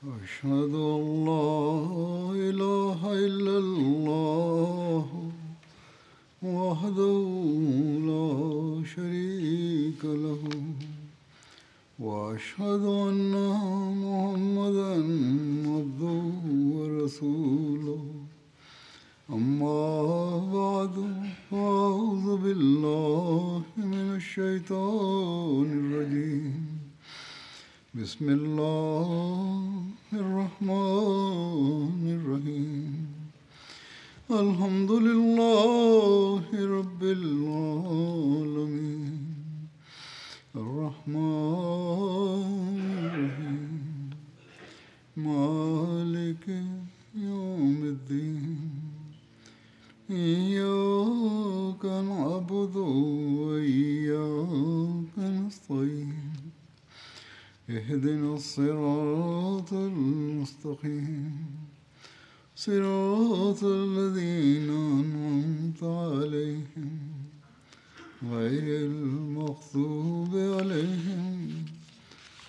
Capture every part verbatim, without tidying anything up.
أشهد أن لا إله إلا الله وحده لا شريك له وأشهد أن محمدا عبده ورسوله أما بعد فأعوذ بالله من الشيطان الرجيم بسم الله الرحمن الرحيم الحمد لله رب العالمين الرحمن الرحيم مالك يوم الدين إياك نعبد وإياك نستعين اهدنا الصراط المستقيم صراط الذين أنعمت عليهم غير المغضوب عليهم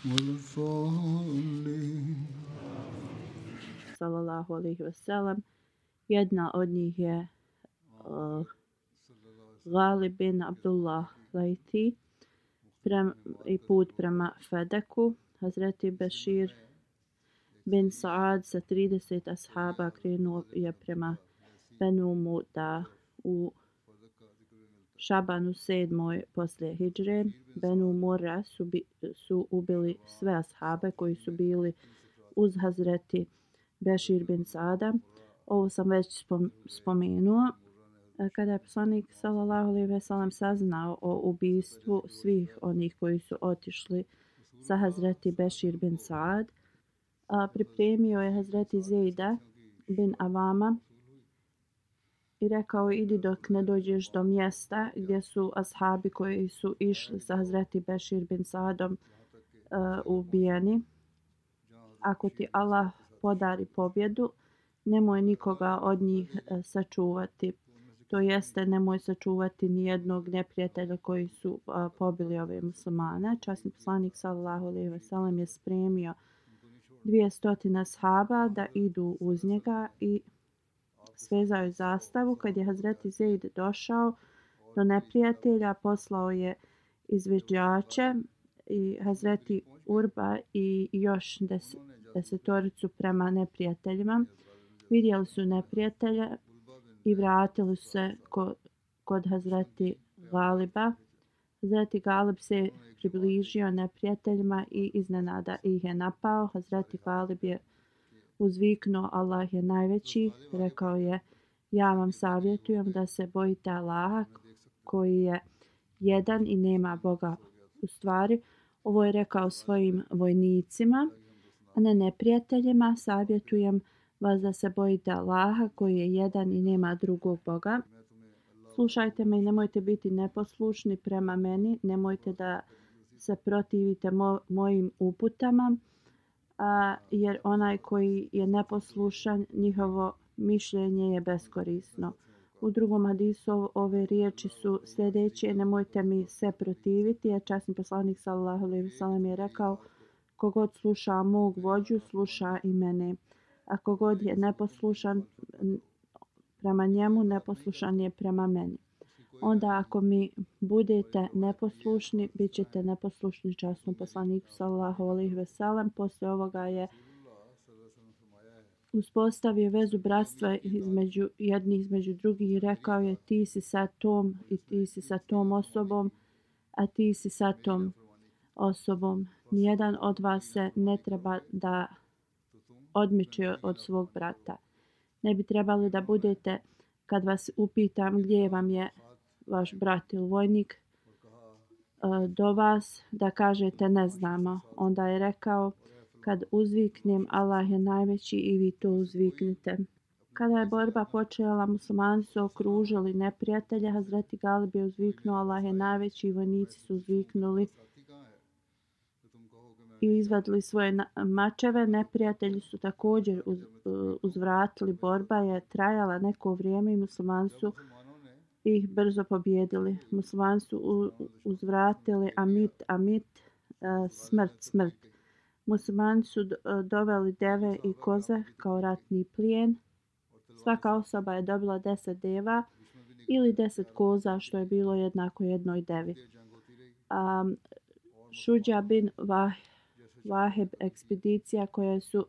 ولا الضالين. Sallallahu alejhi ve sellem. Jedna od njih je uh, Ghalib bin Abdullah Lajti i put prema Fedeku. Hazreti Bešir bin Saad sa trideset ashaba krenuo je prema Benu Muda u Šabanu sedmoj poslije hidžre. Benu Murra su, bi, su ubili sve ashabe koji su bili uz Hazreti Bešir bin Saada. Ovo sam već spomenuo. Kada je poslanik sallallahu alejhi ve sellem saznao o ubistvu svih onih koji su otišli sa Hazreti Bešir bin Saad, pripremio je Hazreti Zejda bin Avama i rekao: idi dok ne dođeš do mjesta gdje su ashabi koji su išli sa Hazreti Bešir bin Saadom uh, ubijeni. Ako ti Allah podari pobjedu, nemoj nikoga od njih uh, sačuvati. To jeste, nemoj sačuvati ni jednog neprijatelja koji su uh, pobili ove muslimane. Časni poslanik sallallahu alejhi ve sellem je spremio dvjesto ashaba da idu uz njega i svezao je zastavu. Kad je Hazreti Zeid došao do neprijatelja, poslao je izviđače i Hazreti Urba i još des, desetoricu prema neprijateljima. Vidjeli su neprijatelja i vratili se kod, kod Hazreti Galiba. Hazreti Galib se približio neprijateljima i iznenada ih je napao. Hazreti Galib je uzviknuo: Allah je najveći. Rekao je: ja vam savjetujem da se bojite Allaha koji je jedan i nema Boga. U stvari, ovo je rekao svojim vojnicima, a ne neprijateljima. Savjetujem vas da se bojite Allaha koji je jedan i nema drugog Boga. Slušajte me i nemojte biti neposlušni prema meni. Nemojte da se protivite mo- mojim uputama, a, jer onaj koji je neposlušan, njihovo mišljenje je beskorisno. U drugom hadisu ove riječi su sljedeće: nemojte mi se protiviti, jer časni poslanik sallallahu alejhi ve sellem je rekao: kogod sluša mog vođu, sluša i mene. A kogod je neposlušan prema njemu, neposlušan je prema meni. Onda ako mi budete neposlušni, bit ćete neposlušni časnom poslaniku sallallahu alejhi ve sellem. Poslije ovoga je uspostavio vezu bratstva između jednih između drugih i rekao je: ti si sa tom i ti si sa tom osobom, a ti si sa tom osobom. Nijedan od vas se ne treba da odmiče od svog brata. Ne bi trebali da budete, kad vas upitam gdje vam je vaš brat ili vojnik, do vas, da kažete ne znamo. Onda je rekao: kad uzviknem Allah je najveći, i vi to uzviknite. Kada je borba počela, muslimani su okružili neprijatelja. Hazreti Galib je uzviknuo: Allah je najveći, i vojnici su uzviknuli i izvadili svoje mačeve. Neprijatelji su također uz, uzvratili. Borba je trajala neko vrijeme i muslimani su ih brzo pobjedili. Muslimani su uzvratili: amit, amit, smrt, smrt. Muslimani su doveli deve i koze kao ratni plijen. Svaka osoba je dobila deset deva ili deset koza, što je bilo jednako jednoj devi. Um, Šuđa bin Vaheb ekspedicija koje su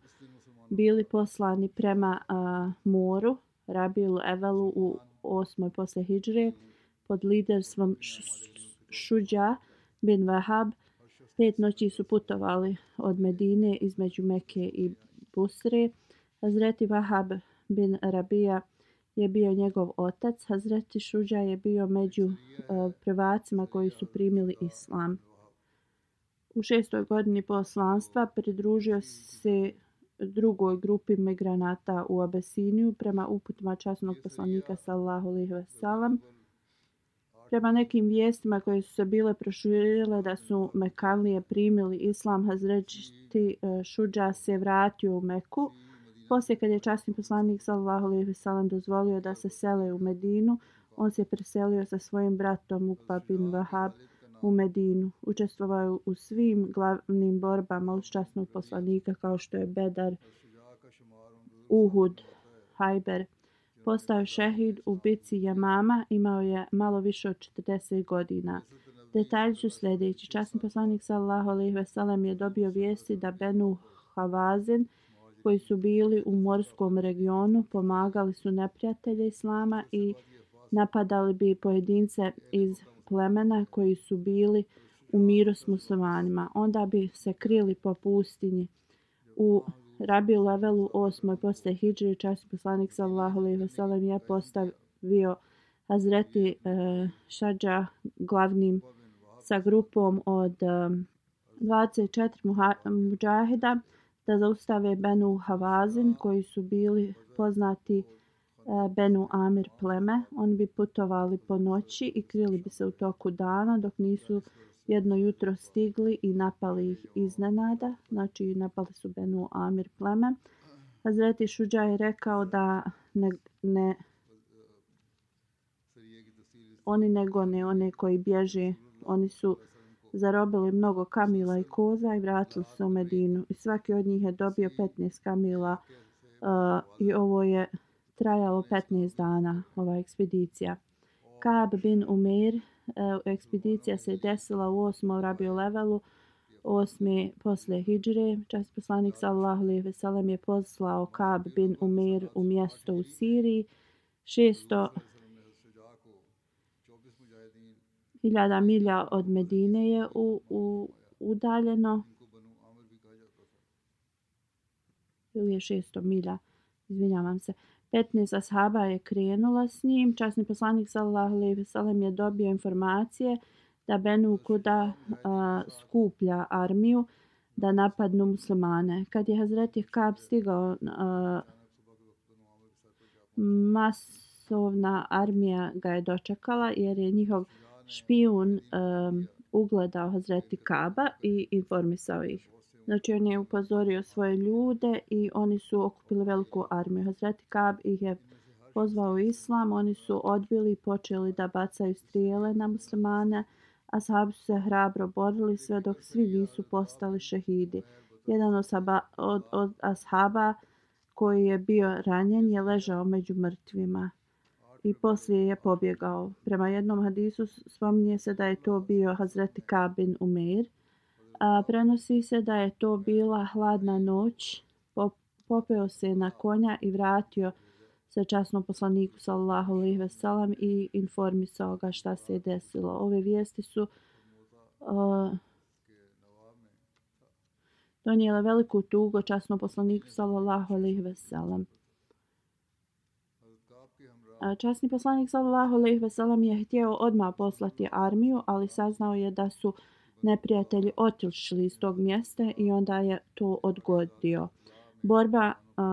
bili poslani prema uh, moru, Rabiul Evelu u osmoj posle hidžre, pod liderstvom Šuđa bin Vahab. Pet noći su putovali od Medine između Mekke i Busre. Hazreti Vahab bin Rabija je bio njegov otac. Hazreti Šuđa je bio među uh, prvacima koji su primili islam. U šestoj godini poslanstva pridružio se drugoj grupi migranata u Abesiniju prema uputima časnog poslanika sallallahu alejhi ve sellem. Prema nekim vijestima koje su se bile proširile da su Mekanlije primili islam, Hazreti Šuđa se vratio u Meku. Poslije kad je časni poslanik sallallahu alejhi ve sellem dozvolio da se sele u Medinu, on se preselio sa svojim bratom Ukba bin Vahab u Medinu. Učestvovao u svim glavnim borbama uz časnog poslanika kao što je Bedar, Uhud, Hajber. Postao je šehid u bici Jamama, imao je malo više od četrdeset godina. Detalji su sljedeći. Časni poslanik sallallahu alejhi ve sellem je dobio vijesti da Benu Havazin, koji su bili u morskom regionu, pomagali su neprijatelje islama i napadali bi pojedince iz plemena koji su bili u miru s muslimanima. Onda bi se krili po pustinji. U Rabiul Evelu osmoj posle hidžre časni poslanik sallallahu alejhi ve sellem je postavio Hazreti e, Šadža glavnim sa grupom od e, dvadeset četiri muđahida da zaustave Benu Havazin koji su bili poznati e, Benu Amir pleme. Oni bi putovali po noći i krili bi se u toku dana dok nisu jedno jutro stigli i napali ih iznenada. Znači napali su Benu Amir pleme. Hazreti Šuđa je rekao da ne, ne, oni ne gone one koji bježe. Oni su zarobili mnogo kamila i koza i vratili se u Medinu. I svaki od njih je dobio petnaest kamila uh, i ovo je trajalo petnaest dana, ova ekspedicija. Ka'b bin Umeir, uh, ekspedicija se desila u osmom Rabiul Evelu, osme posle hidžre. Časni poslanik sallallahu alejhi ve sellem je poslao Ka'b bin Umeir u mjesto u Siriji, šesto hiljada milja od Medine je u, u, udaljeno. Ili je šesto milja, izvinjavam se. petnaest ashaba je krenula s njim. Časni poslanik sallallahu alejhi ve sellem je dobio informacije da Benu Kuda a, skuplja armiju da napadnu muslimane. Kad je Hazreti Ka'b stigao, a, masovna armija ga je dočekala jer je njihov špijun um, ugledao Hazreti Ka'ba i informisao ih. Znači on je upozorio svoje ljude i oni su okupili veliku armiju. Hazreti Ka'b ih je pozvao u islam, oni su odbili i počeli da bacaju strijele na muslimane. Ashabi su se hrabro borili sve dok svi nisu postali šehidi. Jedan osoba, od, od ashaba koji je bio ranjen je ležao među mrtvima i poslije je pobjegao. Prema jednom hadisu spominje se da je to bio Hazreti Ka'b bin Umeir. A prenosi se da je to bila hladna noć. Popeo se na konja i vratio se časnom poslaniku sallallahu alejhi ve sellem i informisao ga šta se je desilo. Ove vijesti su uh, donijele veliku tugu časnom poslaniku sallallahu alejhi ve sellem. Časni poslanik sallallahu alejhi ve sellem je htio odmah poslati armiju, ali saznao je da su neprijatelji otišli iz tog mjesta i onda je to odgodio. Borba uh,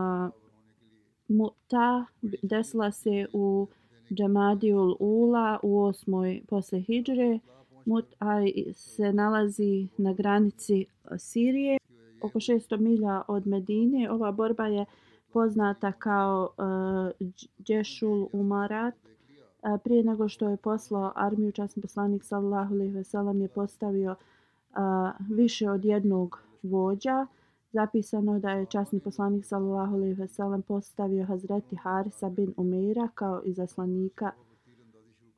Mu'ta desila se u Džamadijul Ula u osmoj posle hidžre. Mu'ta se nalazi na granici Sirije, oko šesto milja od Medine. Ova borba je poznata kao uh, Džešul Umarat. Uh, prije nego što je poslao armiju, časni poslanik sallallahu alejhi ve sellem je postavio uh, više od jednog vođa. Zapisano da je časni poslanik sallallahu alejhi ve sellem postavio Hazreti Harisa bin Umeira kao izaslanika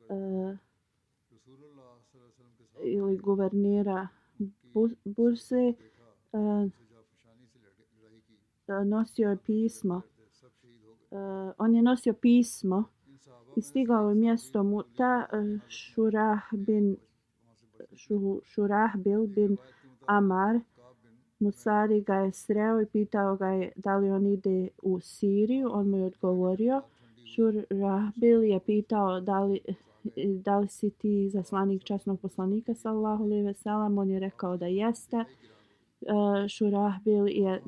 uh, ili guvernera Burse. Uh, nosio je pismo. Uh, on je nosio pismo i stigao je mjesto Muta. uh, Šurah bin Šurah bil bin Amar Musari ga je sreo i pitao ga je da li on ide u Siriju. On mu je odgovorio. Šurahbil je pitao da li, da li si ti izaslanik časnog poslanika sallallahu alejhi ve sellem. On je rekao da jeste. Šurahbil je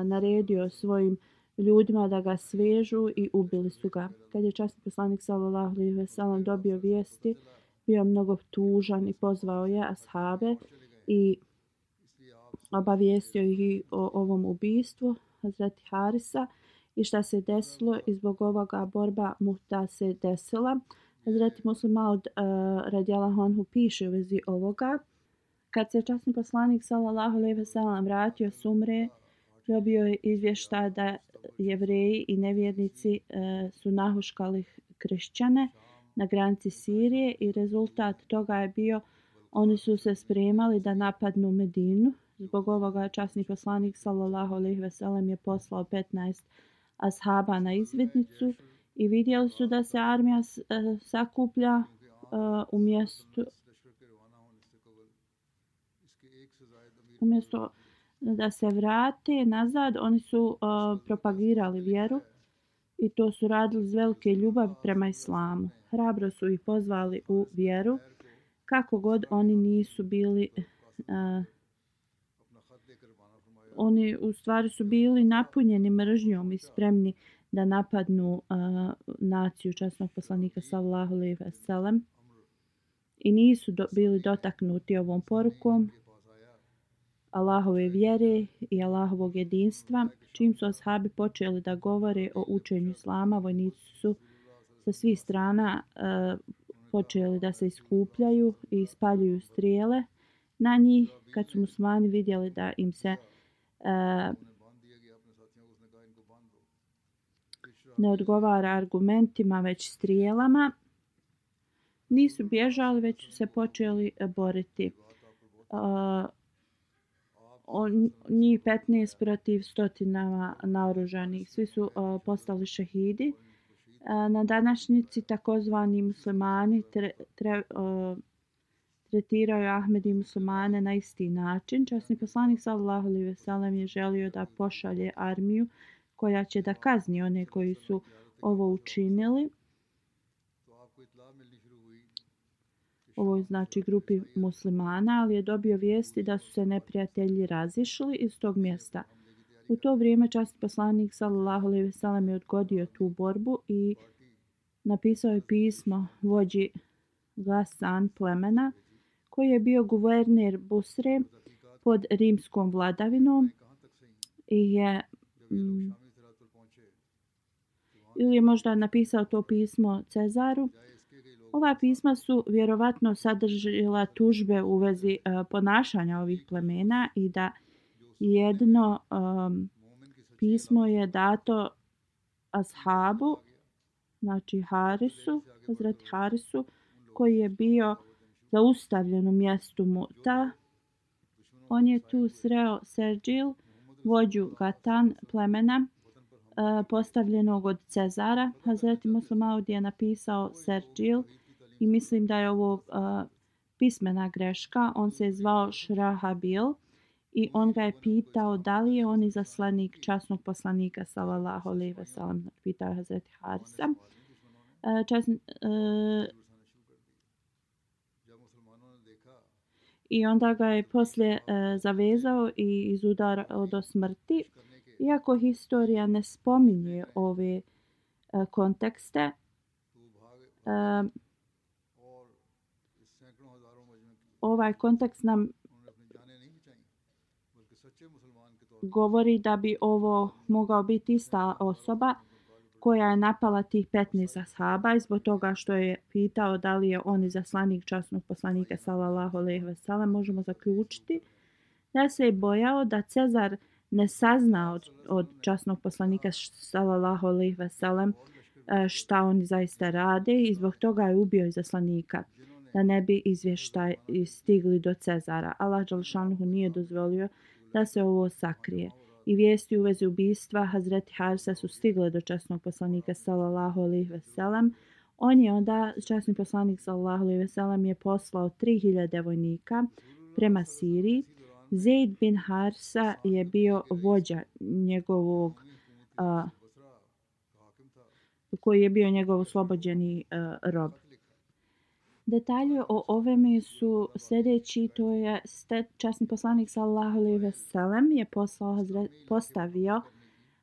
naredio svojim ljudima da ga svežu i ubili su ga. Kad je časni poslanik sallallahu alejhi ve sellem dobio vijesti, bio mnogo tužan i pozvao je ashabe i obavijestio ih o ovom ubistvu Hazreti Harisa i šta se desilo, i zbog ovoga borba Muta se desila. Hazreti Muslim Maud uh, radijallahu anhu piše u vezi ovoga. Kad se časni poslanik sallallahu alejhi ve sellem vratio s umre, dobio je izvještaj da Jevreji i nevjernici uh, su nahuškali kršćane na granici Sirije i rezultat toga je bio oni su se spremali da napadnu Medinu. Zbog ovoga časni poslanik sallallahu alejhi ve sellem je poslao petnaest ashaba na izvidnicu i vidjeli su da se armija uh, sakuplja uh, u mjestu umjesto da se vrate nazad. Oni su uh, propagirali vjeru i to su radili iz velike ljubavi prema islamu. Hrabro su ih pozvali u vjeru, kako god oni nisu bili uh, oni u stvari su bili napunjeni mržnjom i spremni da napadnu uh, naciju časnog poslanika sallallahu alejhi ve sellem i nisu do, bili dotaknuti ovom porukom Allahove vjere i Allahovog jedinstva. Čim su ashabi počeli da govore o učenju islama, vojnici su sa svih strana uh, počeli da se iskupljaju i ispaljuju strijele na njih. Kad su muslimani vidjeli da im se uh, ne odgovara argumentima već strijelama, nisu bježali, već su se počeli boriti. Uh, on, njih petnaest protiv stotinama naoružanih. Svi su uh, postali šehidi. Uh, na današnjici takozvani muslimani tre, tre, uh, tretiraju Ahmedi muslimane na isti način. Časni poslanik sallallahu alejhi ve sellem je želio da pošalje armiju koja će da kazni one koji su ovo učinili. Ovo je znači grupi muslimana, ali je dobio vijesti da su se neprijatelji razišli iz tog mjesta. U to vrijeme časni poslanik sallallahu alejhi ve sellem je odgodio tu borbu i napisao je pismo vođi Gasan plemena koji je bio guverner Busre pod rimskom vladavinom i je mm, ili je možda napisao to pismo Cezaru. Ova pisma su vjerovatno sadržila tužbe u vezi uh, ponašanja ovih plemena i da jedno um, pismo je dato ashabu, znači Harisu, Hazreti Harisu, koji je bio zaustavljen u mjestu Muta. On je tu sreo Serđil, vođu Gatan plemena, uh, postavljenog od Cezara. Hazreti Muslim Maud je napisao Serđil i mislim da je ovo uh, pismena greška. On se je zvao Šrahabil i on ga je pitao da li je on izaslanik časnog poslanika sallallahu alejhi ve sellem. Pitao je Hazreti Harisa. Uh, časni, uh, I onda ga je poslije uh, zavezao i izudarao do smrti. Iako historija ne spominje ove uh, kontekste, uh, ovaj kontekst nam govori da bi ovo mogao biti ista osoba koja je napala tih petnaest ashaba i zbog toga što je pitao da li je on izaslanik časnog poslanika sallallahu alejhi ve sellem, možemo zaključiti da se je bojao da Cezar ne sazna od, od časnog poslanika sallallahu alejhi ve sellem šta oni zaista rade i zbog toga je ubio izaslanika da ne bi izvještaj stigli do Cezara. Allah dželle nije dozvolio da se ovo sakrije. I vijesti u vezi ubistva Hazreti Harisa su stigle do časnog poslanika sallallahu alejhi ve sellem. On je onda, časni poslanik sallallahu alejhi ve sellem je poslao tri hiljade vojnika prema Siriji. Zeid bin Harisa je bio vođa njegovog, uh, koji je bio njegov oslobođeni uh, rob. Detalje o ovome su sljedeći, to je časni poslanik sallallahu alejhi ve sellem je poslao Hazret, postavio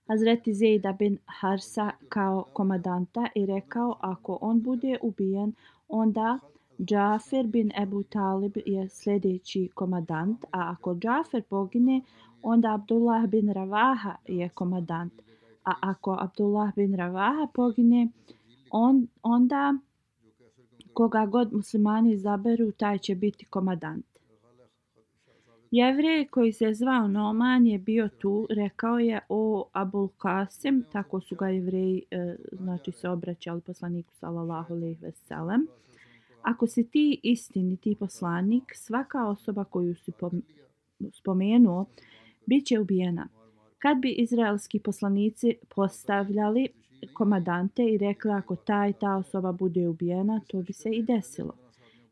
Hazreti Zeida bin Harisa kao komandanta i rekao ako on bude ubijen, onda Džafer bin Ebu Talib je sljedeći komandant, a ako Džafer pogine, onda Abdullah bin Ravaha je komandant, a ako Abdullah bin Ravaha pogine, on, onda koga god muslimani izaberu, taj će biti komandant. Jevrej koji se zvao Noman je bio tu, rekao je o Abul Kasim, tako su ga Jevreji e, znači se obraćali poslaniku sallallahu alejhi ve sellem. Ako si ti istiniti poslanik, svaka osoba koju si spomenuo bit će ubijena. Kad bi izraelski poslanici postavljali komandante i rekli ako ta i ta osoba bude ubijena, to bi se i desilo.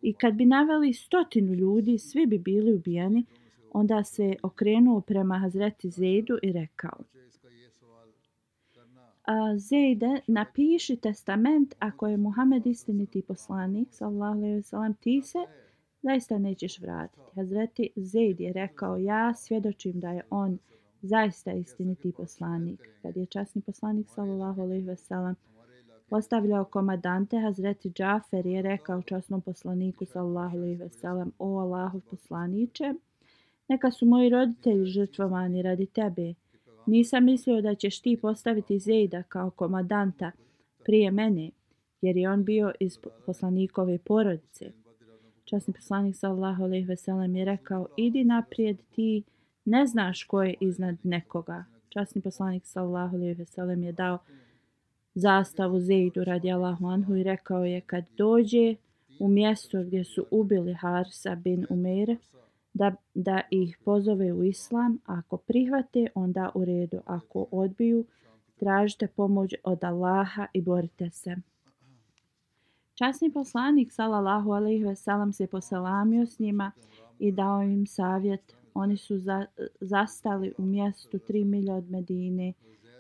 I kad bi naveli stotinu ljudi, svi bi bili ubijeni, onda se okrenuo prema Hazreti Zeidu i rekao: Zeide, napiši testament ako je Muhammed istiniti poslanik, sallallahu alejhi ve sellem, ti se zaista nećeš vratiti. Hazreti Zeid je rekao: ja svjedočim da je on zaista istiniti poslanik. Kad je časni poslanik sallallahu alejhi ve sellem postavljao komandante, Hazreti Džafer je rekao časnom poslaniku sallallahu alejhi ve sellem: o Allahov poslaniče, neka su moji roditelji žrtvovani radi tebe. Nisam mislio da ćeš ti postaviti Zeida kao komandanta prije mene, jer je on bio iz poslanikove porodice. Časni poslanik sallallahu alejhi ve sellem je rekao: idi naprijed, ti ne znaš ko je iznad nekoga. Časni poslanik sallallahu alejhi ve sellem je dao zastavu Zeidu radijallahu anhu i rekao je: kad dođe u mjesto gdje su ubili Harisa bin Umeir, da, da ih pozove u islam, ako prihvate, onda u redu, ako odbiju, tražite pomoć od Allaha i borite se. Časni poslanik sallallahu alejhi ve sellem se poselamio s njima i dao im savjet. Oni su za, zastali u mjestu tri milje od Medine.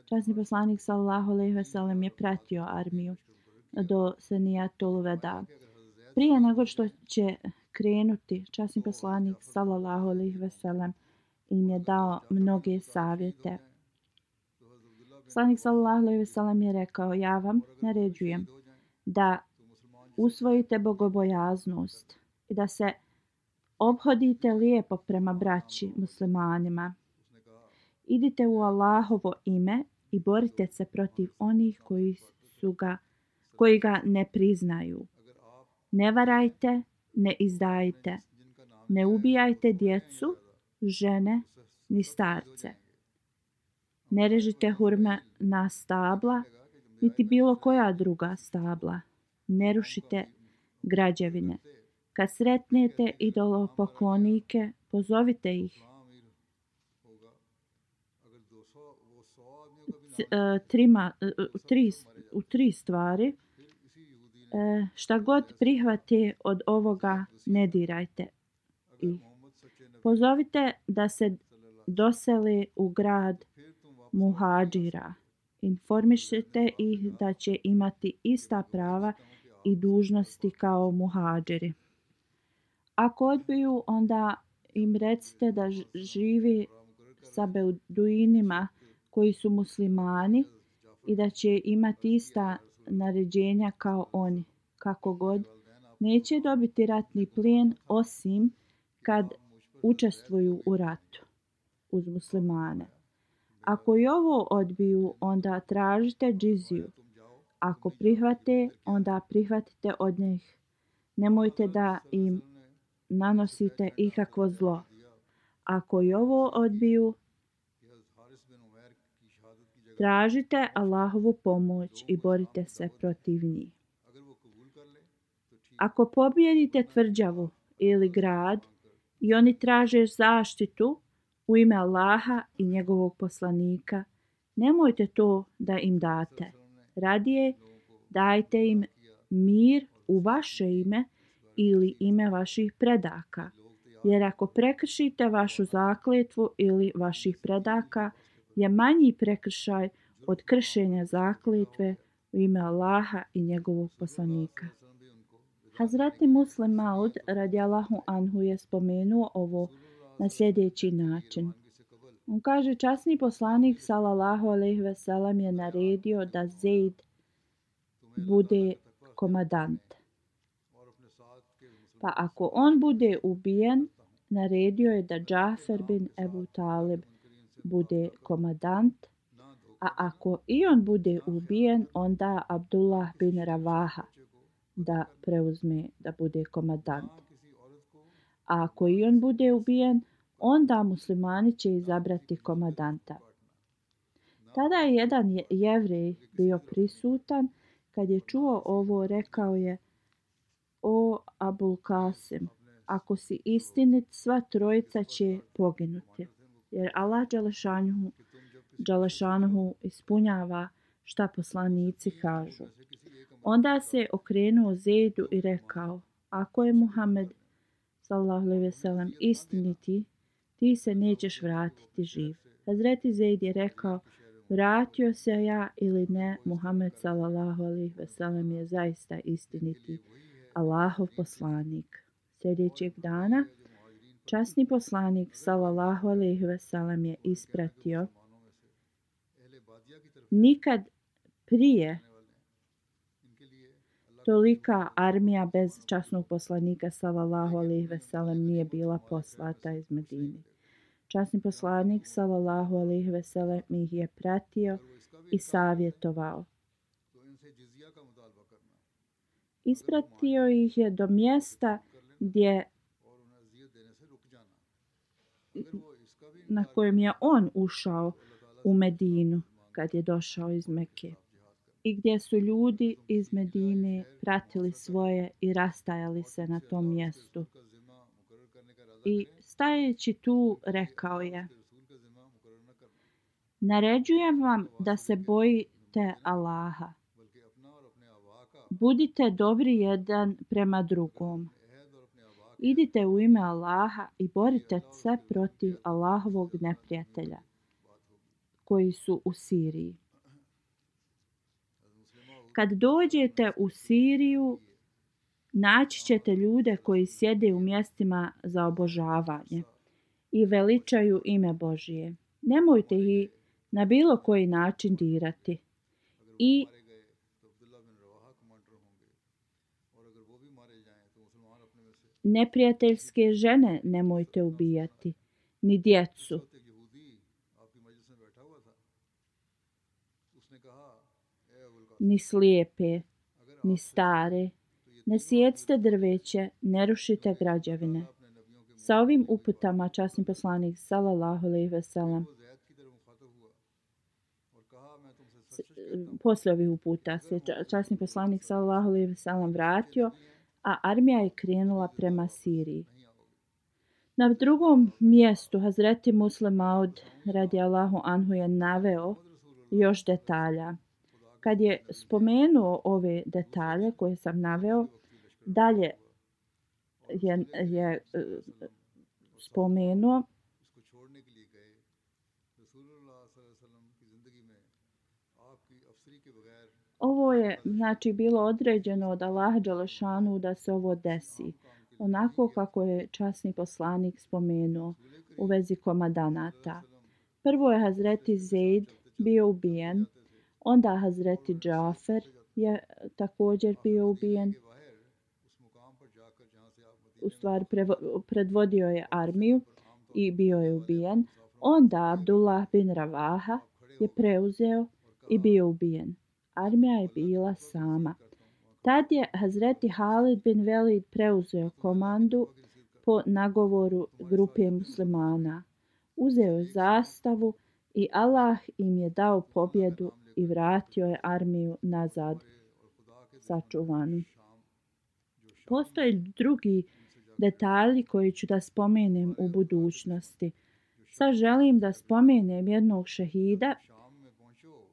Časni poslanik sallallahu alejhi ve sellem je pratio armiju do Senijatul Veda. Prije nego što će krenuti, časni poslanik sallallahu alejhi ve sellem im je dao mnoge savjete. Poslanik sallallahu alejhi ve sellem je rekao: ja vam naređujem da usvojite bogobojaznost i da se ophodite lijepo prema braći muslimanima. Idite u Allahovo ime i borite se protiv onih koji su ga, koji ga ne priznaju. Ne varajte, ne izdajte, ne ubijajte djecu, žene ni starce. Ne režite hurme na stabla, niti bilo koja druga stabla. Ne rušite građevine. Kad sretnete idolopoklonike, pozovite ih. C, uh, trima, uh, tri, u tri stvari. Uh, šta god prihvate od ovoga, ne dirajte ih. Pozovite da se dosele u grad muhadžira. Informišite ih da će imati ista prava i dužnosti kao muhadžiri. Ako odbiju, onda im recite da živi sa beduinima koji su muslimani i da će imati ista naređenja kao oni. Kako god, neće dobiti ratni plijen osim kad učestvuju u ratu uz muslimane. Ako i ovo odbiju, onda tražite džiziju. Ako prihvate, onda prihvatite od njih. Nemojte da im nanosite ikakvo zlo. Ako i ovo odbiju, tražite Allahovu pomoć i borite se protiv njih. Ako pobijedite tvrđavu ili grad i oni traže zaštitu u ime Allaha i njegovog poslanika, nemojte to da im date. Radije dajte im mir u vaše ime ili ime vaših predaka. Jer ako prekršite vašu zakletvu ili vaših predaka, je manji prekršaj od kršenja zakletve u ime Allaha i njegovog poslanika. Hazreti Muslim Maud radijallahu anhu je spomenuo ovo na sljedeći način. On kaže, časni poslanik sallallahu alejhi ve sellem je naredio da Zeid bude komadant. Pa ako on bude ubijen, naredio je da Džafer bin Ebu Talib bude komadant, a ako i on bude ubijen, onda Abdullah bin Ravaha da preuzme da bude komadant. A ako i on bude ubijen, onda muslimani će izabrati komadanta. Tada je jedan jevrej bio prisutan. Kad je čuo ovo, rekao je: O Abul Kasim, ako si istinit, sva trojica će poginuti, jer Allah Đelešanuhu, Đelešanuhu ispunjava šta poslanici kažu. Onda se okrenuo Zejdu i rekao: Ako je Muhammed sallallahu alejhi ve sellem istiniti, ti se nećeš vratiti živ. Hazreti Zejd je rekao: Vratio se ja ili ne, Muhammed sallallahu alejhi ve sellem je zaista istiniti Allahov poslanik. Sljedećeg dana časni poslanik sallallahu alejhi ve sellem je ispratio. Nikad prije tolika armija bez časnog poslanika sallallahu alejhi ve sellem nije bila poslata iz Medine. Časni poslanik sallallahu alejhi ve sellem ih je pratio i savjetovao. Ispratio ih je do mjesta gdje na kojem je on ušao u Medinu kad je došao iz Mekke i gdje su ljudi iz Medine pratili svoje i rastajali se na tom mjestu. I stajeći tu rekao je: Naređujem vam da se bojite Allaha. Budite dobri jedan prema drugom. Idite u ime Allaha i borite se protiv Allahovog neprijatelja koji su u Siriji. Kad dođete u Siriju, naći ćete ljude koji sjede u mjestima za obožavanje i veličaju ime Božije. Nemojte ih na bilo koji način dirati i neprijateljske žene nemojte ubijati, ni djecu. Ni slijepe, ni stare. Ne sjecite drveće, ne rušite građevine. Sa ovim uputama časni poslanik sallallahu alejhi ve sellem posle ovih uputa se časni poslanik sallallahu alejhi ve sellem vratio, a armija je krenula prema Siriji. Na drugom mjestu Hazreti Muslim Maud radijallahu anhu je naveo još detalja. Kad je spomenuo ove detalje koje sam naveo, dalje je, je spomenuo ovo je znači bilo određeno od Allaha Đelešanu da se ovo desi, onako kako je časni poslanik spomenuo u vezi komadanata. Prvo je Hazreti Zejd bio ubijen, onda Hazreti Džafer je također bio ubijen. U stvari predvodio je armiju i bio je ubijen. Onda Abdullah bin Ravaha je preuzeo i bio ubijen. Armija je bila sama. Tad je Hazreti Halid bin Velid preuzeo komandu po nagovoru grupe muslimana. Uzeo je zastavu i Allah im je dao pobjedu i vratio je armiju nazad sačuvanu. Postoje drugi detalji koji ću da spomenem u budućnosti. Sad želim da spomenem jednog šehida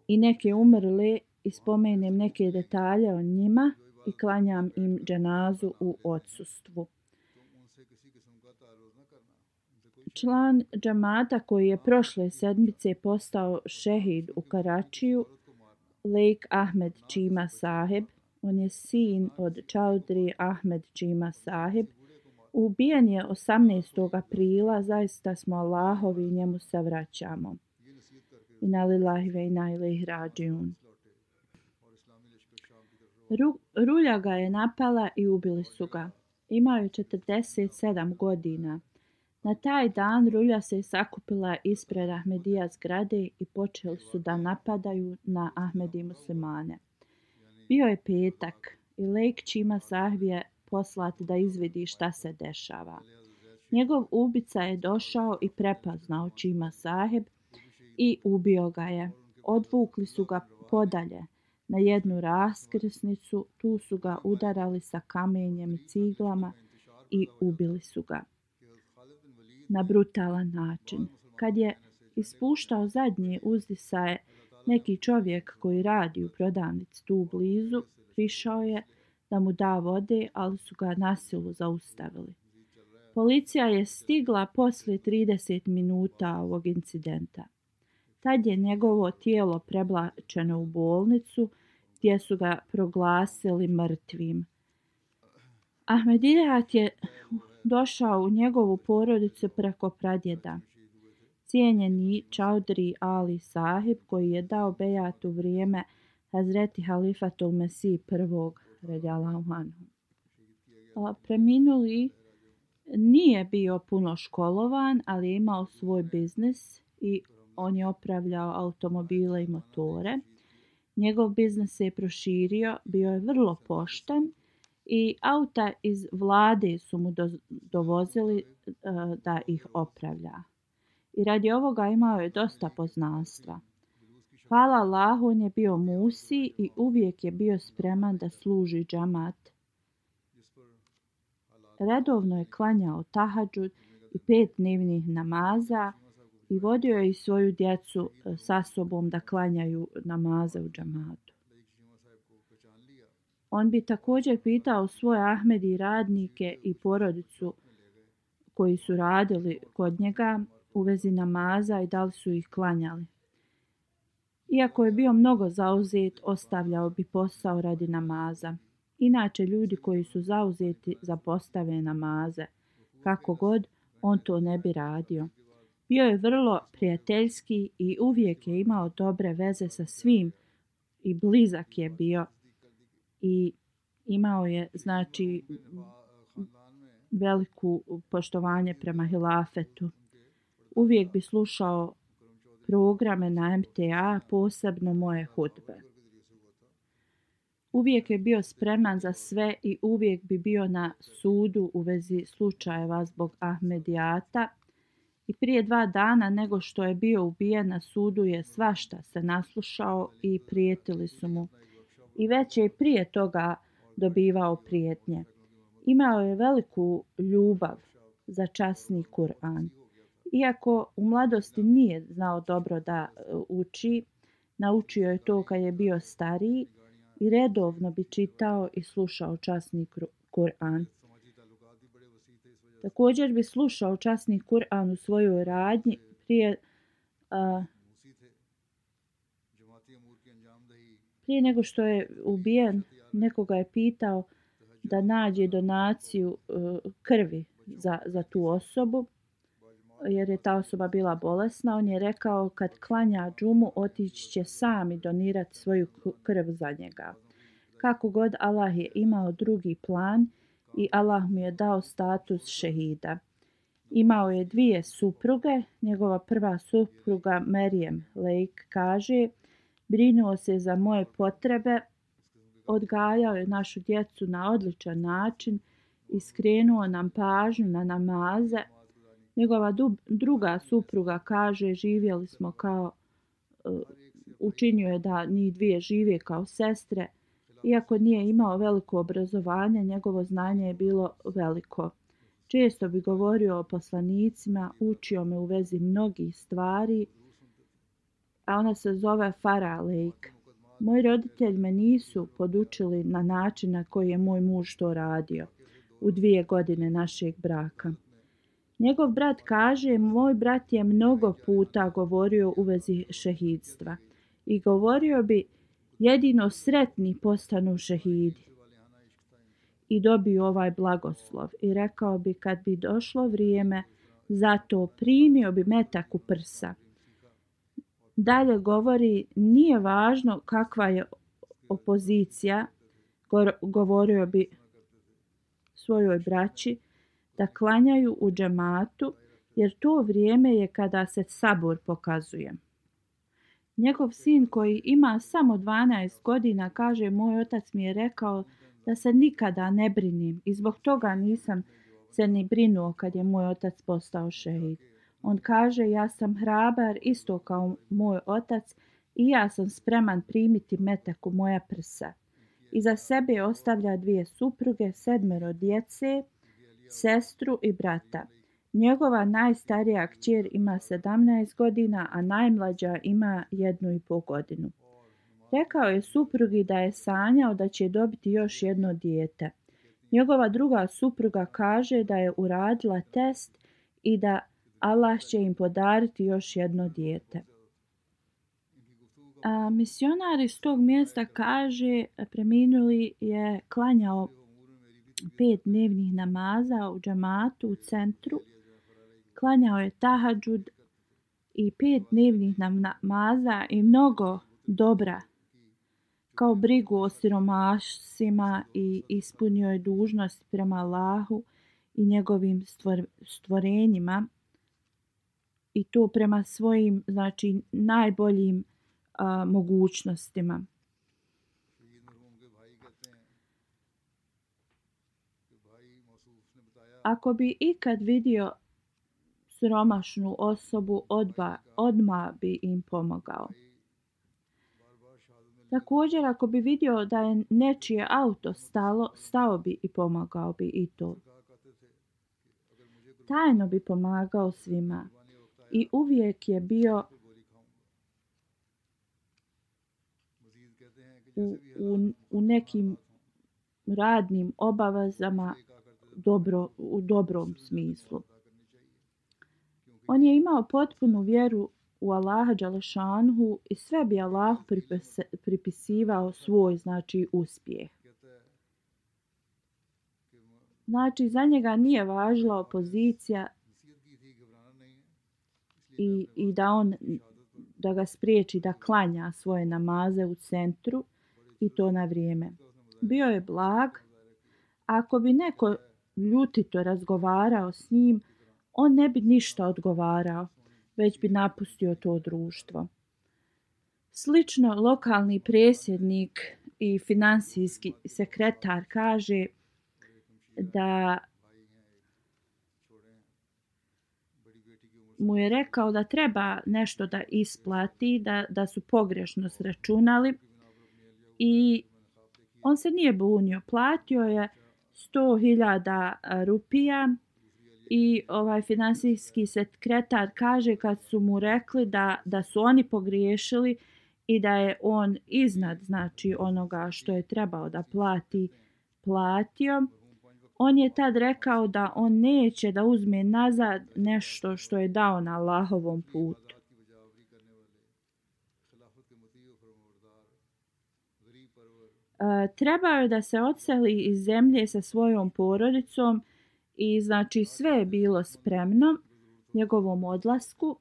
i neke umrle i spomenem neke detalje o njima i klanjam im dženazu u odsustvu. Član džamata koji je prošle sedmice postao šehid u Karačiju, Lejk Ahmed Čima Saheb, on je sin od Čaudri Ahmed Čima Saheb, ubijen je osamnaestog aprila, zaista smo Allahovi i njemu se vraćamo. Inna lillahi ve inna ilejhi rađiun. Ru, Rulja ga je napala i ubili su ga. Imao je četrdeset sedam godina. Na taj dan Rulja se sakupila ispred Ahmedija zgrade i počeli su da napadaju na Ahmedi muslimane. Bio je petak i Lejk Čima Saheb je poslat da izvidi šta se dešava. Njegov ubica je došao i prepoznao Čima Saheb i ubio ga je. Odvukli su ga podalje na jednu raskrsnicu, tu su ga udarali sa kamenjem i ciglama i ubili su ga na brutalan način. Kad je ispuštao zadnje uzdisaje, neki čovjek koji radi u prodavnici tu blizu prišao je da mu da vode, ali su ga na silu zaustavili. Policija je stigla poslije trideset minuta ovog incidenta. Tad je njegovo tijelo prebačeno u bolnicu gdje su ga proglasili mrtvim. Ahmedijat je došao u njegovu porodicu preko pradjeda. Cijenjeni Čaudri Ali Sahib koji je dao bejat u vrijeme Hazreti Halifatul Mesih prvog radijallahu anhu. Preminuli nije bio puno školovan, ali je imao svoj biznis i on je opravljao automobile i motore. Njegov biznis se je proširio, bio je vrlo pošten i auta iz vlade su mu do, dovozili uh, da ih opravlja. I radi ovoga imao je dosta poznanstva. Hvala Allahu, on je bio musi i uvijek je bio spreman da služi džamat. Redovno je klanjao tahadžud i pet dnevnih namaza i vodio je i svoju djecu sa sobom da klanjaju namaze u džamatu. On bi također pitao svoje Ahmedi radnike i porodicu koji su radili kod njega u vezi namaza i da li su ih klanjali. Iako je bio mnogo zauzet, ostavljao bi posao radi namaza. Inače, ljudi koji su zauzeti zapostave namaze. Kako god, on to ne bi radio. Bio je vrlo prijateljski i uvijek je imao dobre veze sa svim i blizak je bio i imao je, znači, veliku poštovanje prema hilafetu. Uvijek bi slušao programe na M T A, posebno moje hudbe. Uvijek je bio spreman za sve i uvijek bi bio na sudu u vezi slučajeva zbog Ahmedijata. I prije dva dana nego što je bio ubijen na sudu je svašta se naslušao i prijetili su mu. I već je prije toga dobivao prijetnje. Imao je veliku ljubav za časni Kur'an. Iako u mladosti nije znao dobro da uči, naučio je to kad je bio stariji i redovno bi čitao i slušao časni Kur'an. Također bi slušao časni Kur'an u svojoj radnji prije, a, prije nego što je ubijen. Nekoga je pitao da nađe donaciju uh, krvi za, za tu osobu, jer je ta osoba bila bolesna. On je rekao kad klanja džumu otići će sam i donirati svoju krv za njega. Kako god, Allah je imao drugi plan i Allah mu je dao status šehida. Imao je dvije supruge. Njegova prva supruga Merijem Lejk kaže: brinuo se za moje potrebe, odgajao je našu djecu na odličan način i skrenuo nam pažnju na namaze. Njegova druga supruga kaže, živjeli smo kao, učinio je da njih dvije žive kao sestre. Iako nije imao veliko obrazovanje, njegovo znanje je bilo veliko. Često bi govorio o poslanicima, učio me u vezi mnogih stvari, a ona se zove Farah Lejk. Moji roditelji me nisu podučili na način na koji je moj muž to radio u dvije godine našeg braka. Njegov brat kaže, moj brat je mnogo puta govorio u vezi šehidstva i govorio bi, jedino sretni postanu šehidi i dobiju ovaj blagoslov. I rekao bi, kad bi došlo vrijeme za to, primio bi metak u prsa. Dalje govori, nije važno kakva je opozicija, govorio bi svojoj braći, da klanjaju u džematu, jer to vrijeme je kada se sabor pokazuje. Njegov sin koji ima samo dvanaest godina kaže, moj otac mi je rekao da se nikada ne brinim i zbog toga nisam se ni brinuo kad je moj otac postao šehid. On kaže, ja sam hrabar isto kao moj otac i ja sam spreman primiti metak u moja prsa. Iza sebe ostavlja dvije supruge, sedmero djece, sestru i brata. Njegova najstarija kćer ima sedamnaest godina, a najmlađa ima jednu i pol godinu. Rekao je suprugi da je sanjao da će dobiti još jedno dijete. Njegova druga supruga kaže da je uradila test i da Allah će im podariti još jedno dijete. A misionar iz tog mjesta kaže, preminuli je klanjao pet dnevnih namaza u džematu u centru, klanjao je tahadžud i pet dnevnih namaza i mnogo dobra, kao brigu o siromašima i ispunio je dužnost prema Allahu i njegovim stvor, stvorenjima i to prema svojim, znači, najboljim a, mogućnostima. Ako bi ikad vidio siromašnu osobu, odba, odmah bi im pomogao. Također, ako bi vidio da je nečije auto stalo, stao bi i pomogao bi i to. Tajno bi pomagao svima i uvijek je bio u, u, u nekim radnim obavezama dobro, u dobrom smislu. On je imao potpunu vjeru u Allaha dželešanhu i sve bi Allahu pripis, pripisivao svoj, znači, uspjeh. Znači, za njega nije važila opozicija i, i da on da ga spriječi da klanja svoje namaze u centru i to na vrijeme. Bio je blag. Ako bi neko ljutito razgovarao s njim, on ne bi ništa odgovarao, već bi napustio to društvo. Slično, lokalni predsjednik i finansijski sekretar kaže da mu je rekao da treba nešto da isplati, da, da su pogrešno sračunali i on se nije bunio. Platio je sto hiljada rupija i ovaj finansijski sekretar kaže kad su mu rekli da, da su oni pogriješili i da je on iznad, znači, onoga što je trebao da plati, platio. On je tad rekao da on neće da uzme nazad nešto što je dao na Allahovom putu. E, trebao je da se odseli iz zemlje sa svojom porodicom i, znači, sve je bilo spremno njegovom odlasku.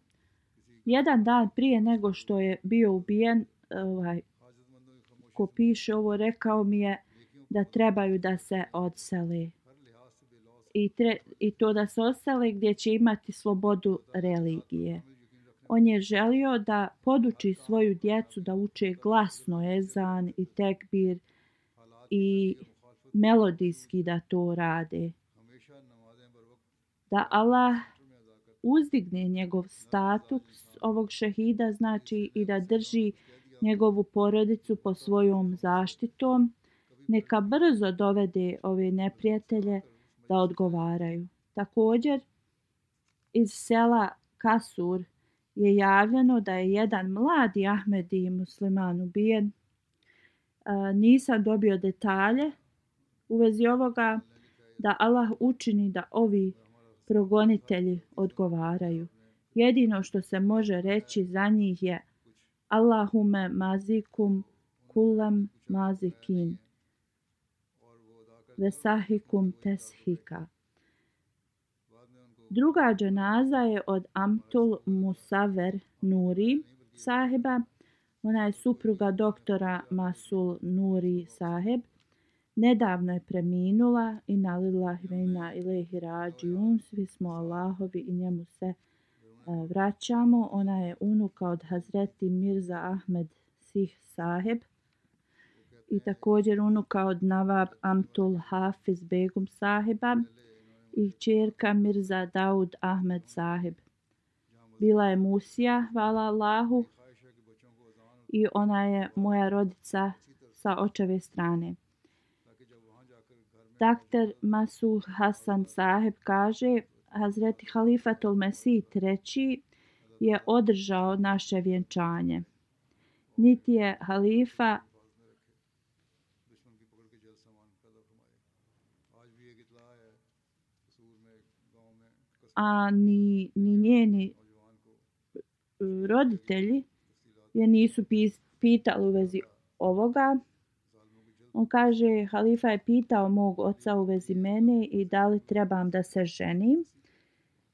Jedan dan prije nego što je bio ubijen, ovaj, ko piše ovo, rekao mi je da trebaju da se odsele. I, tre, I to da se odsele gdje će imati slobodu religije. On je želio da poduči svoju djecu da uče glasno ezan i tekbir i melodijski da to rade. da Allah uzdigne njegov status ovog šehida, znači i da drži njegovu porodicu pod svojom zaštitom. Neka brzo dovede ove neprijatelje da odgovaraju. Također, iz sela Kasur je javljeno da je jedan mladi Ahmedi musliman ubijen. E, nisam dobio detalje u vezi ovoga, da Allah učini da ovi progonitelji odgovaraju. Jedino što se može reći za njih je Allahume mazikum kulam mazikin vesahikum teshika. Druga dženaza je od Amtul Musaver Nuri sahiba. Ona je supruga doktora Masul Nuri sahib. Nedavno je preminula. Inna lillahi ve inna ilaihi rađiun. Svi smo Allahovi i njemu se uh, vraćamo. Ona je unuka od Hazreti Mirza Ahmed Sih sahib. I također unuka od Nawab Amtul Hafiz Begum sahiba i kćerka Mirza Daud Ahmed sahib. Bila je Musija, hvala Allahu, i ona je moja rodica sa očeve strane. Doktor Masuh Hasan sahib kaže, Hazreti Halifatul Mesih treći je održao naše vjenčanje. Niti je halifa a ni, ni njeni roditelji je nisu pitali u vezi ovoga. On kaže, halifa je pitao mog oca u vezi mene i da li trebam da se ženim.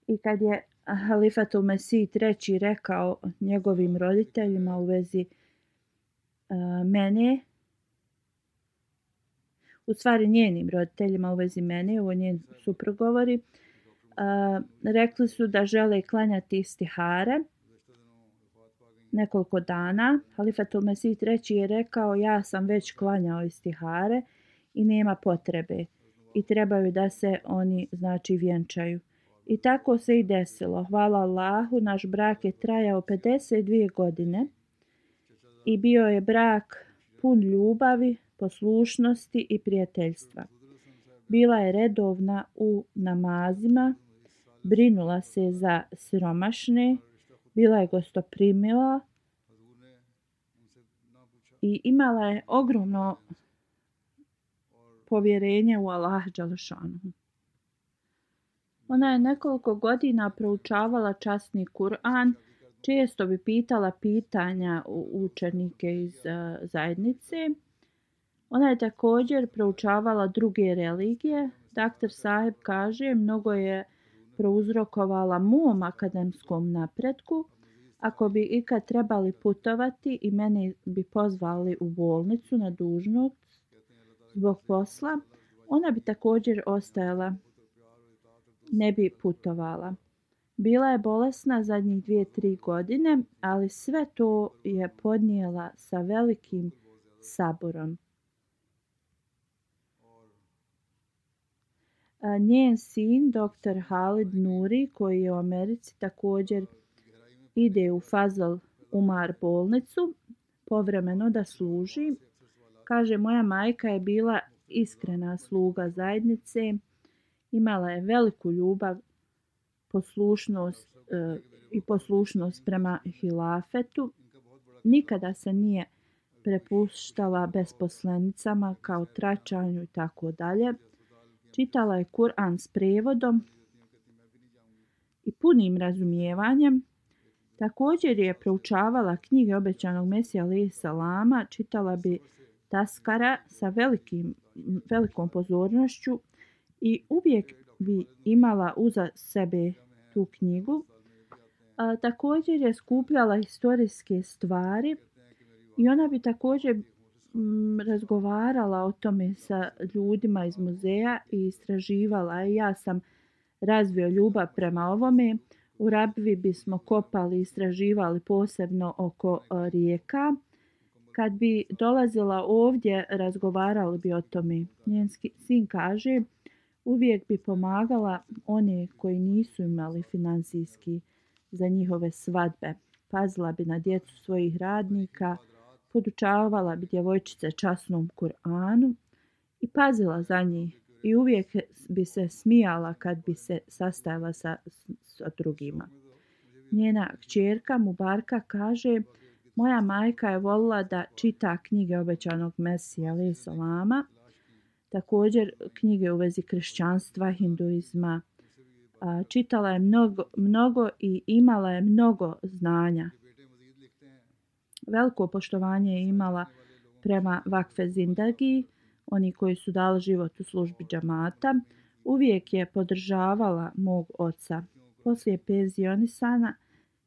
I kad je Halifatul Mesih treći rekao njegovim roditeljima u vezi uh, mene, u stvari njenim roditeljima u vezi mene, ovo njen suprug govori, uh, rekli su da žele klanjati istihare nekoliko dana. Halifatul Mesih treći je rekao, ja sam već klanjao istihare i nema potrebe i trebaju da se oni znači vjenčaju. I tako se i desilo. Hvala Allahu, naš brak je trajao pedeset dvije godine i bio je brak pun ljubavi, poslušnosti i prijateljstva. Bila je redovna u namazima, brinula se za siromašne, bila je gostoprimiva i imala je ogromno povjerenje u Allaha dželešanu. Ona je nekoliko godina proučavala časni Kur'an, često bi pitala pitanja učenike iz uh, zajednice. Ona je također proučavala druge religije. Doktor Sahib kaže, mnogo je prouzrokovala mom akademskom napretku. Ako bi ikad trebali putovati i mene bi pozvali u bolnicu na dužnost zbog posla, ona bi također ostajala, ne bi putovala. Bila je bolesna zadnjih dvije, tri godine, ali sve to je podnijela sa velikim saburom. Njen sin, doktor Halid Nuri, koji je u Americi, također ide u Fazl Umar bolnicu povremeno da služi. Kaže, moja majka je bila iskrena sluga zajednice, imala je veliku ljubav, poslušnost e, i poslušnost prema hilafetu. Nikada se nije prepuštala besposlenicama kao tračanju i tako dalje. Čitala je Kur'an s prevodom i punim razumijevanjem. Također je proučavala knjige obećanog Mesija alejhi selama, čitala bi Taskara sa velikim, velikom pozornošću i uvijek bi imala uza sebe tu knjigu. A, također je skupljala historijske stvari i ona bi također m, razgovarala o tome sa ljudima iz muzeja i istraživala. I ja sam razvio ljubav prema ovome. U Rabvi bismo kopali i istraživali posebno oko a, rijeka. Kad bi dolazila ovdje, razgovarali bi o tome. Njen sin kaže, Uvijek bi pomagala one koji nisu imali finansijski za njihove svadbe. Pazila bi na djecu svojih radnika, podučavala bi djevojčice časnom Kur'anu i pazila za njih. I uvijek bi se smijala kad bi se sastajala sa, sa drugima. Njena kćerka Mubarka kaže: moja majka je volila da čita knjige obećanog Mesija alejhi selama, također knjige u vezi kršćanstva, hinduizma. Čitala je mnogo, mnogo i imala je mnogo znanja. Veliko poštovanje je imala prema vakfe zindagi, oni koji su dali život u službi džamata. Uvijek je podržavala mog oca. Poslije penzionisanja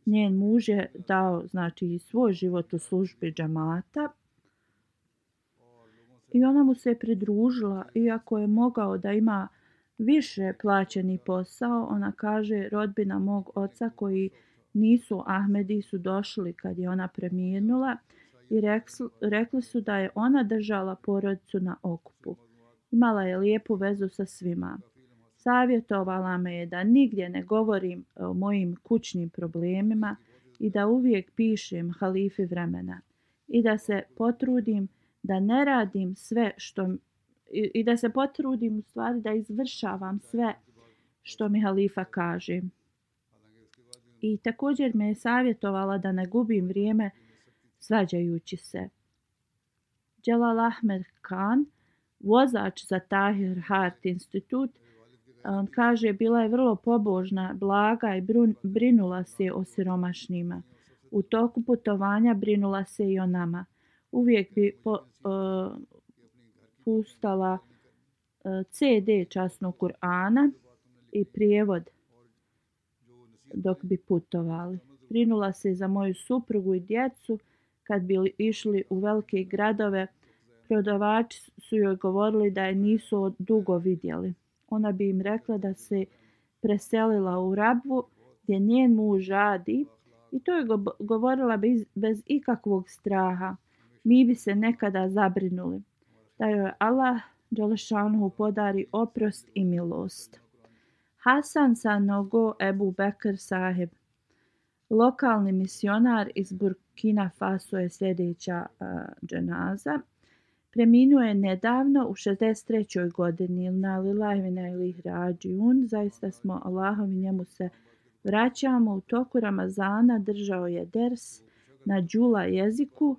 njen muž je dao znači svoj život u službi džamata i ona mu se pridružila, iako je mogao da ima više plaćeni posao. Ona kaže: rodbina mog oca koji nisu Ahmedi su došli kad je ona preminula i rekli, rekli su da je ona držala porodicu na okupu. Imala je lijepu vezu sa svima. Savjetovala me je da nigdje ne govorim o mojim kućnim problemima i da uvijek pišem halifi vremena i da se potrudim da ne radim sve što i, i da se potrudim u stvari da izvršavam sve što mi halifa kaže. I također me je savjetovala da ne gubim vrijeme svađajući se. Dželal Ahmed Khan, vozač za Tahir Heart Institut, on kaže: bila je vrlo pobožna, blaga i brun, brinula se o siromašnima. U toku putovanja brinula se i o nama. Uvijek bi po, uh, pustala uh, ce de časnog Kur'ana i prijevod dok bi putovali. Brinula se za moju suprugu i djecu. Kad bi išli u velike gradove, prodavači su joj govorili da je nisu dugo vidjeli. Ona bi im rekla da se preselila u Rabvu gdje njen muž radi i to je govorila bez, bez ikakvog straha. Mi bi se nekada zabrinuli da joj Allah dželešanuhu podari oprost i milost. Hasan Sanogo Ebu Bekr Saheb, lokalni misionar iz Burkina Faso, je sljedeća uh, dženaza. Preminuo je nedavno u šezdeset trećoj godini. Na lillahi wa inna ilaihi rađiun. Zaista smo Allahovi, njemu se vraćamo. U toku Ramazana držao je ders na džula jeziku,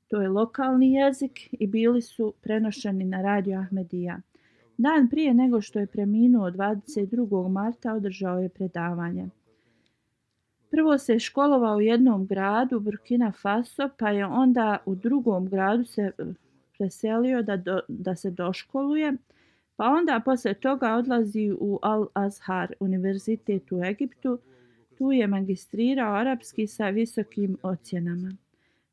to je lokalni jezik, i bili su prenošeni na radio Ahmedija. Dan prije nego što je preminuo dvadeset drugog marta održao je predavanje. Prvo se školovao u jednom gradu, Burkina Faso, pa je onda u drugom gradu se preselio da, do, da se doškoluje, pa onda poslije toga odlazi u Al-Azhar, univerzitet u Egiptu. Tu je magistrirao arapski sa visokim ocjenama.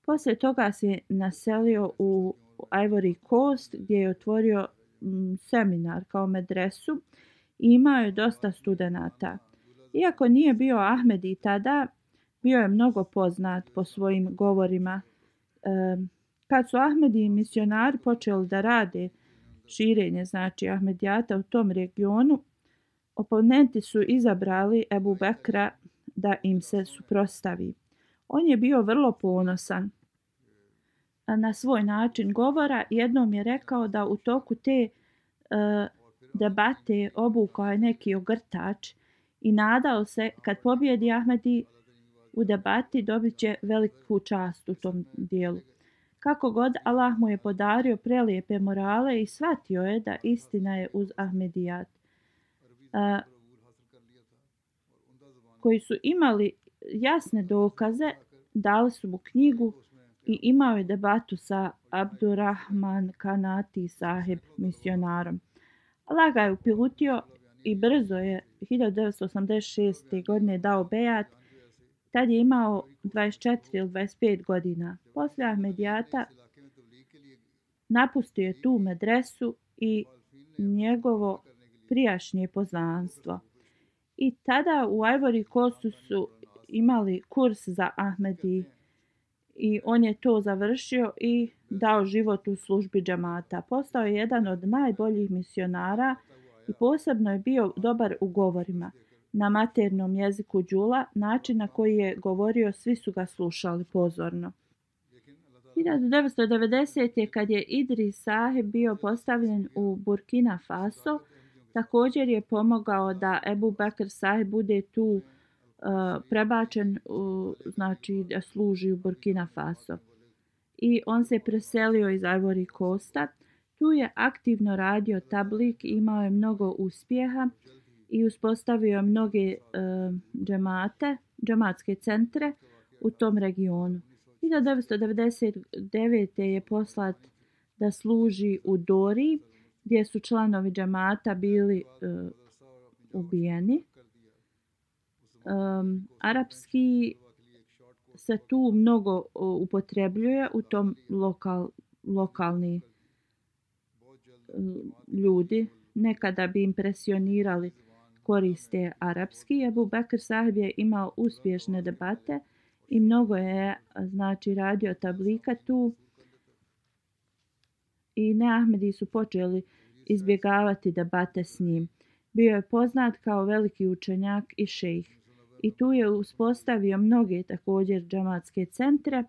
Poslije toga se naselio u Ivory Coast gdje je otvorio m, seminar kao medresu i imao je dosta studenata. Iako nije bio Ahmedi tada, bio je mnogo poznat po svojim govorima. E, kad su Ahmedi i misionari počeli da rade širenje, znači Ahmedijata u tom regionu, oponenti su izabrali Ebu Bekra da im se suprotstavi. On je bio vrlo ponosan na svoj način govora. Jednom je rekao da u toku te uh, debate obukao je neki ogrtač i nadao se kad pobjedi Ahmedi u debati dobit će veliku čast u tom dijelu. Kako god, Allah mu je podario prelijepe morale i shvatio je da istina je uz Ahmedijat. Uh, koji su imali jasne dokaze, dali su mu knjigu i imao je debatu sa Abdurrahman Kanati Sahib, misionarom. Allah ga je uputio i brzo je hiljadu devetsto osamdeset šeste. godine dao bejat. Tad je imao dvadeset četiri ili dvadeset pet godina. Poslije Ahmedijata napustio je tu medresu i njegovo prijašnje poznanstvo. I tada u Ivory Coastu su imali kurs za Ahmedi i on je to završio i dao život u službi džamata. Postao je jedan od najboljih misionara i posebno je bio dobar u govorima. Na maternom jeziku Đula, način na koji je govorio, svi su ga slušali pozorno. hiljadu devetsto devedesete. kad je Idris Sahib bio postavljen u Burkina Faso, također je pomogao da Ebu Bekr Sahib bude tu uh, prebačen, uh, znači da služi u Burkina Faso. I on se preselio iz Ivory Coasta. Tu je aktivno radio tablik, imao je mnogo uspjeha i uspostavio mnoge uh, džemate, džematske centre u tom regionu. hiljadu devetsto devedeset devete. je poslat da služi u Dori, gdje su članovi džemata bili uh, ubijeni. Um, arapski se tu mnogo uh, upotrebljuje u tom lokal, lokalni uh, ljudi. Nekada bi impresionirali koriste arapski. Ebu Bekr Sahib je imao uspješne debate i mnogo je znači radio tablika tu. I neahmedi su počeli izbjegavati debate s njim. Bio je poznat kao veliki učenjak i šejh. I tu je uspostavio mnoge također džematske centre.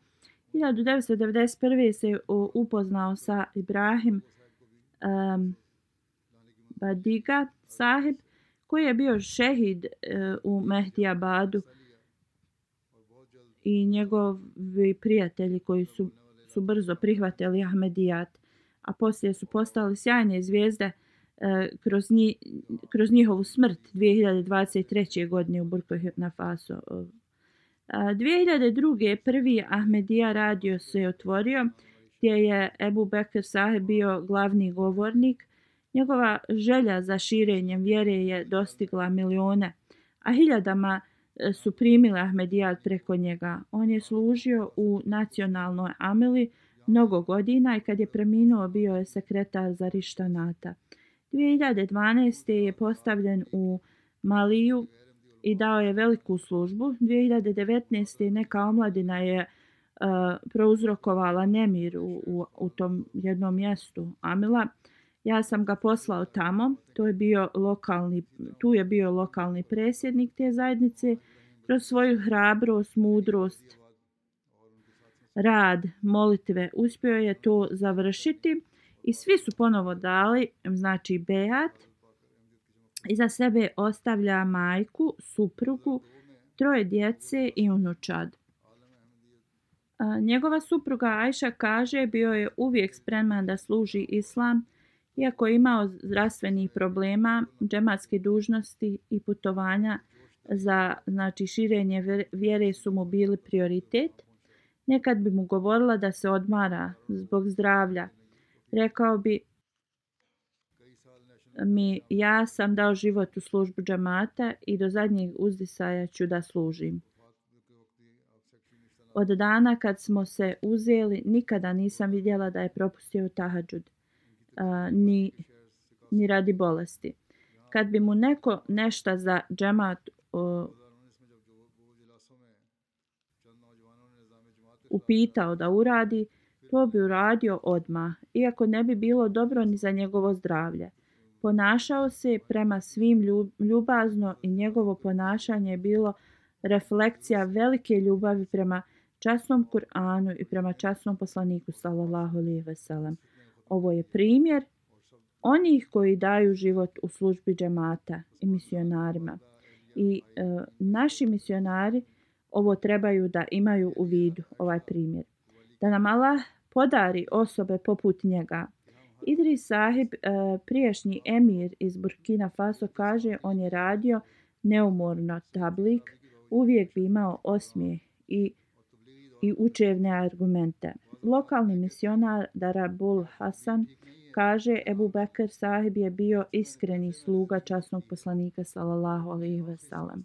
hiljadu devetsto devedeset prve. se upoznao sa Ibrahim um, Badiga Sahib, koji je bio šehid uh, u Mehdiabadu, i njegovi prijatelji koji su, su brzo prihvatili Ahmedijat, a poslije su postali sjajne zvijezde e, kroz, nji, kroz njihovu smrt dvije hiljade dvadeset treće. godine u Burkina Faso. E, dvije hiljade druge. prvi Ahmedija radio se otvorio, gdje je Ebu Bekr Sahib bio glavni govornik. Njegova želja za širenjem vjere je dostigla milione, a hiljadama su primili Ahmedijat preko njega. On je služio u nacionalnoj amili mnogo godina i kad je preminuo bio je sekretar za Rištanata. dvije hiljade dvanaeste. je postavljen u Maliju i dao je veliku službu. dvije hiljade devetnaeste. neka omladina je uh, prouzrokovala nemir u, u, u tom jednom mjestu Amila. Ja sam ga poslao tamo. To je bio lokalni, tu je bio lokalni predsjednik te zajednice. Kroz svoju hrabrost, mudrost, rad, molitve uspio je to završiti i svi su ponovo dali, znači bejat. Iza sebe ostavlja majku, suprugu, troje djece i unučad. A, njegova supruga Ajša kaže bio je uvijek spreman da služi islam, iako je imao zdravstvenih problema, džematske dužnosti i putovanja za znači širenje vjere su mu bili prioritet. Nekad bi mu govorila da se odmara zbog zdravlja. Rekao bi mi, ja sam dao život u službu džemata i do zadnjeg uzdisaja ću da služim. Od dana kad smo se uzeli, nikada nisam vidjela da je propustio tahadžud, a, ni, ni radi bolesti. Kad bi mu neko nešto za džemat o, upitao da uradi, to bi uradio odmah, iako ne bi bilo dobro ni za njegovo zdravlje. Ponašao se prema svim ljubazno i njegovo ponašanje je bilo reflekcija velike ljubavi prema časnom Kur'anu i prema časnom poslaniku sallallahu alejhi ve sellem. Ovo je primjer onih koji daju život u službi džemata i misionarima. I e, naši misionari ovo trebaju da imaju u vidu, ovaj primjer. Da nam Allah podari osobe poput njega. Idris Sahib, e, prijašnji emir iz Burkina Faso, kaže on je radio neumorno tablik, uvijek bi imao osmijeh i, i učevne argumente. Lokalni misionar Darabul Hasan kaže Ebu Bekr Sahib je bio iskreni sluga časnog poslanika sallallahu alejhi ve sellem.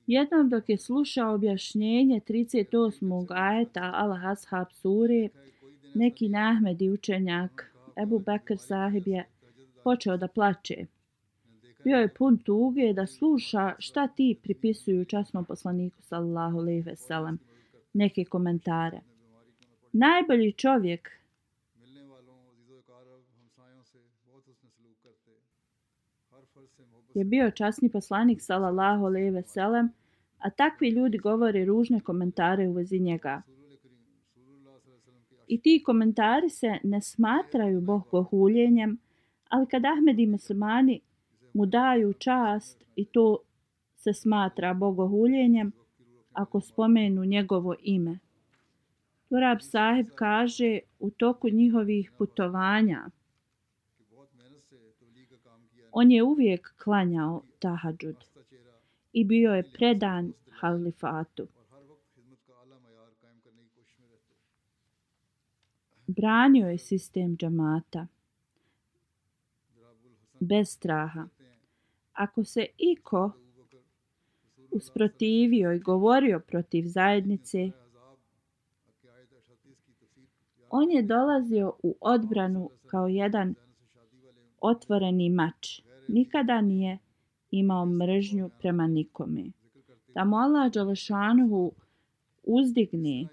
Jednom dok je slušao objašnjenje trideset osmog ajeta Al-Ashab sure, neki neahmedi učenjak Ebu Bekr Sahib je počeo da plače. Bio je pun tuge da sluša šta ti pripisuju časnom poslaniku sallallahu alejhi ve sellem, neke komentare. Najbolji čovjek je bio časni poslanik sallallahu alejhi ve sellem, a takvi ljudi govore ružne komentare u vezi njega. I ti komentari se ne smatraju bogohuljenjem, ali kad Ahmed i muslimani mu daju čast i to se smatra bogohuljenjem ako spomenu njegovo ime. Turab sahib kaže u toku njihovih putovanja on je uvijek klanjao tahadžud i bio je predan halifatu. Branio je sistem džamata bez straha. Ako se iko usprotivio i govorio protiv zajednice, on je dolazio u odbranu kao jedan otvoreni mač. Nikada nije imao mržnju prema nikome. Da mu Allah dželešanuhu uzdigne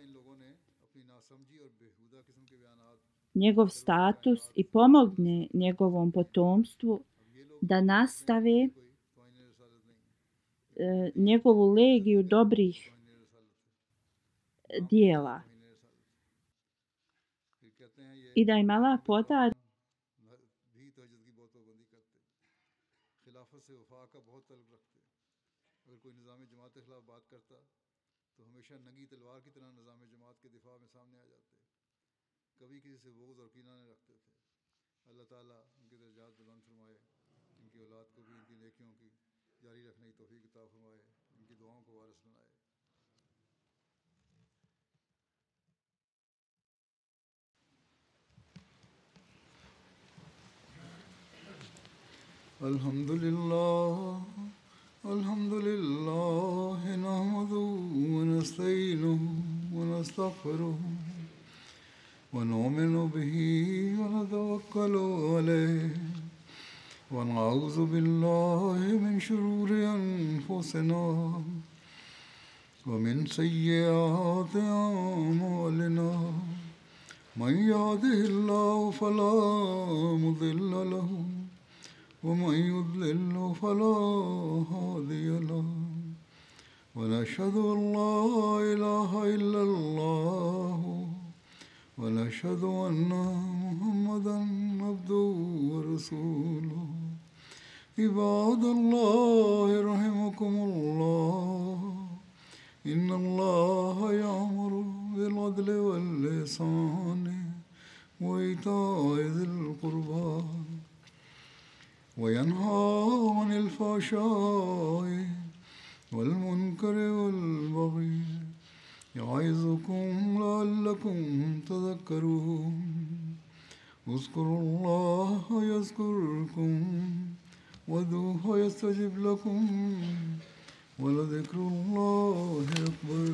njegov status i pomogne njegovom potomstvu da nastave e, njegovu legiju dobrih dijela i da im Allah podari कभी किसी से बोझ और कीना नहीं रखते थे। अल्लाह ताला उनके दर्जात बुलंद फरमाए, इनकी औलाद को भी इनकी नेकियों की जारी रखने की तौफीक अता फरमाए, इनकी दुआओं को वारिस बनाए। अल्हम्दुलिल्लाह अल्हम्दुलिल्लाह नहमदुहु व नस्तईनुहु व नस्तगफिरुहु ونؤمن به ونتوكل عليه ونعوذ بالله من شرور أنفسنا ومن سيئات أعمالنا من يهده الله فلا مضل له ومن يضلل فلا هادي له ونشهد أن لا إله إلا الله ونشهد أن محمدا عبده ورسوله عباد الله رحمكم الله إن الله يأمر بالعدل والإحسان وإيتاء ذي القربى وينهى عن الفحشاء والمنكر والبغي يعظكم لعلكم تذكرون اذكروا الله يذكركم وادعوه يستجب لكم ولذكر الله أكبر